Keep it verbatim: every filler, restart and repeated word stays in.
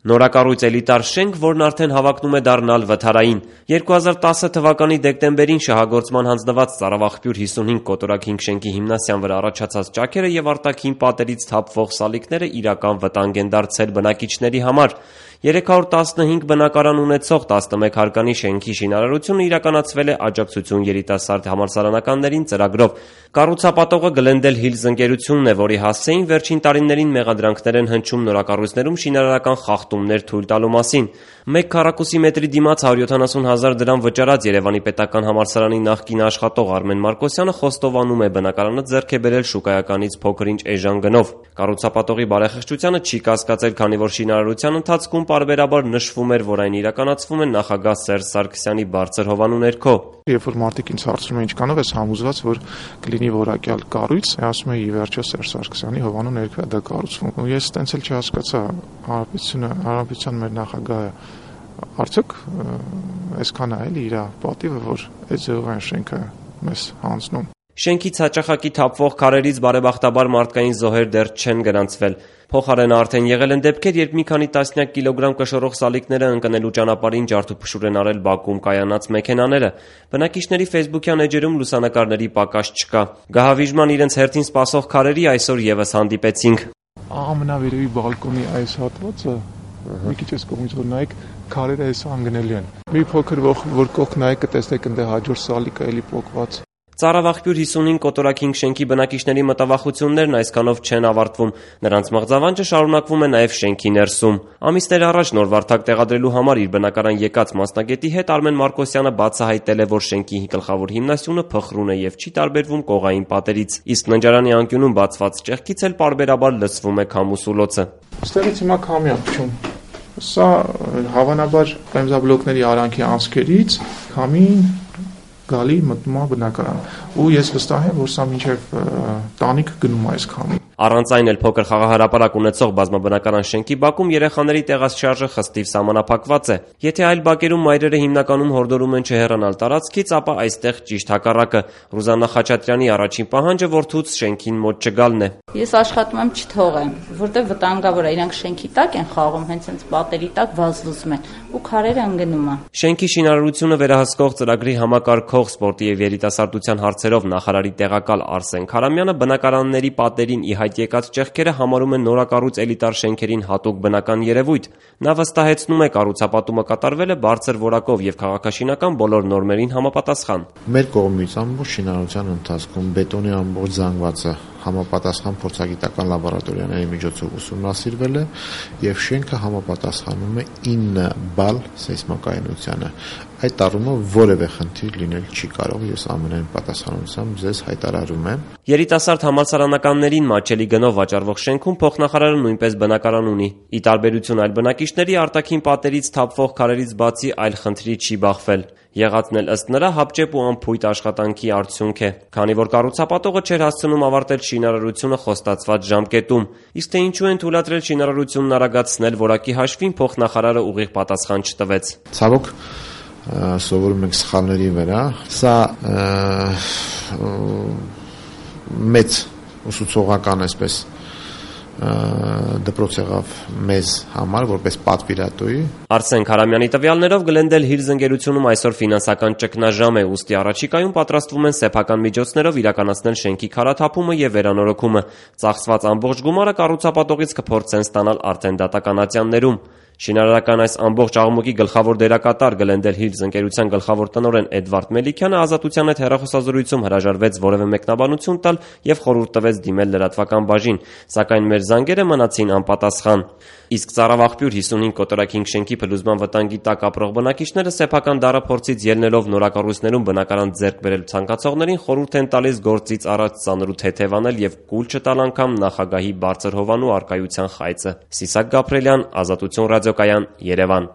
Նորակառույց էլիտար շենք, որն արդեն հավակնում է դառնալ վթարային։ երկու հազար տասը թվականի դեկտեմբերին շահագործման հանձնված Ծառավաղբյուր հիսունհինգ կոտորակինք շենքի հիմնասյան վրա առաջացած ճաքերը եւ արտաքին պատերից թափվող սալիկները իրական վտանգ են դարձել բնակիչների համար։ երեք հարյուր տասնհինգ բնակարան ունեցող տասնմեկ հարկանի շենքի շինարարությունը իրականացվել է աջակցություն երիտասարդ համալսարանականներին ծրագրով։ Կառուցապատողը Glendale Hills ընկերությունն է, որի հասցեին վերջին տարիներին մեղադրանքներ են հնչում նորակառույցներում շինարարական խախտումներ թույլ տալու մասին։ Մեկ քառակուսի մետրի դիմաց հարյուր յոթանասուն հազար դրամ վճարած Երևանի պետական համալսարանի նախկին աշխատող Արմեն Մարկոսյանը խոստովանում է բնակարանը ձեռք է բերել շուկայականից փոքր-ինչ էժան գնով։ Կառուցապատողի բարեխղճությանը չի կասկածել, քանի որ շինարարության ընթացքում պարբերաբար նշվում էր, որ այն իրականացվում է նախագահ Սերժ Սարգսյանի բարձր հովանու ներքո։ Երբ որ մարդիկ ինձ հարցնում են ինչքանով ես համոզված, որ կլինի որակյալ կառույց, ասում եմ ի վերջո Սերժ Սարգսյանի հովանու ներքո է դա կառուցվում։ Ու ես տենց էլ չհասկացա հանրապետությունը, հանրապետության մեր նախագահը արդյոք այսքան է էլի իր պատիվը, որ այդ ձևով այն շենքը մեզ հանձնում։ Շենքից հաճախակի թափվող քարերից բարեբախտաբար մարդկային զոհեր դեռ չեն գրանցվել։ Փոխարենը արդեն եղել են դեպքեր, երբ մի քանի տասնյակ կիլոգրամ կշռող սալիկները ընկնելու ճանապարհին ջարդուփշուր են արել Բաքվում կայանած մեքենաները։ Բնակիչների ֆեյսբուքյան էջերում լուսանկարների պակաս չկա։ Գահավիժման իրենց հերթին սպասող քարերի այսօր եւս հանդիպեցինք։ Ամենավերևի բալկոնի այս հատվածը մի քիչ էս կողմից որ նայեք, քարերը այս անգնելի են։ Մի փոքր որ կողք նայեք կտեսնեք ընդ հաջորդ սալիկը էլի պոկված։ Ծառավաղբյուր հիսունհինգ կոտորակինք շենքի բնակիչների մտավախություններն այսքանով չեն ավարտվում։ Նրանց մղձավանջը շարունակվում է նաև շենքի ներսում։ Ամիսներ առաջ նոր վարդակ տեղադրելու համար իր բնակարան եկած մասնագետի հետ Արմեն Մարկոսյանը բացահայտել է, որ շենքի գլխավոր հիմնասյունը փխրուն է եւ չի տարբերվում կողային պատերից, իսկ ննջարանի անկյունում բացված ճեղքից էլ պարբերաբար լսվում է քամու սուլոցը։ Այստեղից հիմա քամի է փչում։ Սա հավանաբար բեմզաբլոկների արանքի անցքերից քամին գալի մտնում է բնակարան ու ես վստահ եմ, որ սա մինչև տանիք գնում է այս քամին։ Առանց այն էլ փոքր խաղահրապարակ ունեցող բազմաբնակարան շենքի բակում երեխաների տեղաշարժը խստիվ սահմանափակված է։ Եթե այլ բակերում մայրերը հիմնականում հորդորում են չհեռանալ տարածքից, ապա այստեղ ճիշտ հակառակը։ Ռուզաննա Խաչատրյանի առաջին պահանջը որդուց շենքին մոտ չգալն է։ Ես աշխատում եմ չթողեմ, որտեղ վտանգավոր է, իրանք շենքի տակ են խաղում, հենց հենց պատերի տակ վազվզում են ու քարերը ընկնում են։ Շենքի շինարարությունը վերահսկող ծրագրի համակարգող սպորտի եւ երիտասարդության հարցերով նախարարի տեղակալ Արսեն Քարամյանը բնակարանների պատերին ի հայտ եկած ճեղքերը համարում են նորակառույց էլիտար շենքերին հատուկ բնական երևույթ։ Նա վստահեցնում է, կառուցապատումը կատարվել է բարձր որակով եւ քաղաքաշինական բոլոր նորմերին համապատասխան։ Մեր կողմից ամբողջ շինարարության ընթացքում բետոնի ամբողջ զանգվածը համապատասխան փորձագիտական լաբորատորիաների միջոցով ուսումնասիրվել է եւ շենքը համապատասխանում է ինը բալ սեյսմակայունությանը։ Այդ առումով որևէ խնդիր լինել չի կարող, ես ամենայն պատասխանությամբ ձեզ հայտարարում եմ։ Երիտասարդ համալսարանականներին մատչելի գնով վաճառվող շենքում փոխնախարարը նույնպես բնակարան ունի։ Ի տարբերություն այլ բնակիչների, արտաքին պատերից թափվող քարերից բացի այլ խնդրի չի բախվել։ Եղածն էլ ըստ նրա հապճեպ ու անփույթ աշխատանքի արդյունք է, քանի որ կառուցապատողը չէր հասցնում ավարտել շինարարությունը խոստացված ժամկետում։ Իսկ թե ինչու են թույլատրել շինարարությունն արագացնել, որակի հաշվին փոխնախարարը ուղիղ պատասխան չտվեց։ Ցավոք սովորում ենք սխալների վրա։ Սա մեծ ուսուցողական այսպես դպրոց եղավ մեզ համար որպես պատվիրատուի։ Արսեն Քարամյանի տվյալներով Glendale Hills ընկերությունում այսօր ֆինանսական ճգնաժամ է, ուստի առաջիկայում պատրաստվում են սեփական միջոցներով իրականացնել շենքի քարաթափումը եւ վերանորոգումը։ Ծախսված ամբողջ գումարը կառուցապատողից կփորձեն ստանալ արդեն դատականացյաններում։ Շինարարական այս ամբողջ աղմուկի գլխավոր դերակատար Glendale Hills ընկերության գլխավոր տնօրեն Էդվարդ Մելիքյանը Ազատության հետ հեռախոսազրույցում հրաժարվեց որևէ մեկնաբանություն տալ եւ խորհուրդ տվեց դիմել լրատվական բաժին, սակայն մեր զանգերը մնացին անպատասխան։ Իսկ Ծառավաղբյուր հիսունհինգ կոտորակինք շենքի փլուզման վտանգի տակ ապրող բնակիչները սեփական դարափորձից ելնելով նորակառույցներում բնակարան ձեռք բերել ցանկացողներին խորհուրդ են տալիս գործից առաջ ծանրու թեթևանել եւ կուլ չտալ անգամ նախագահի բարձր հովանու արկայության խայծը։ Սիսակ Գաբրելյան, Ազատություն ռադիոկայան, Երևան։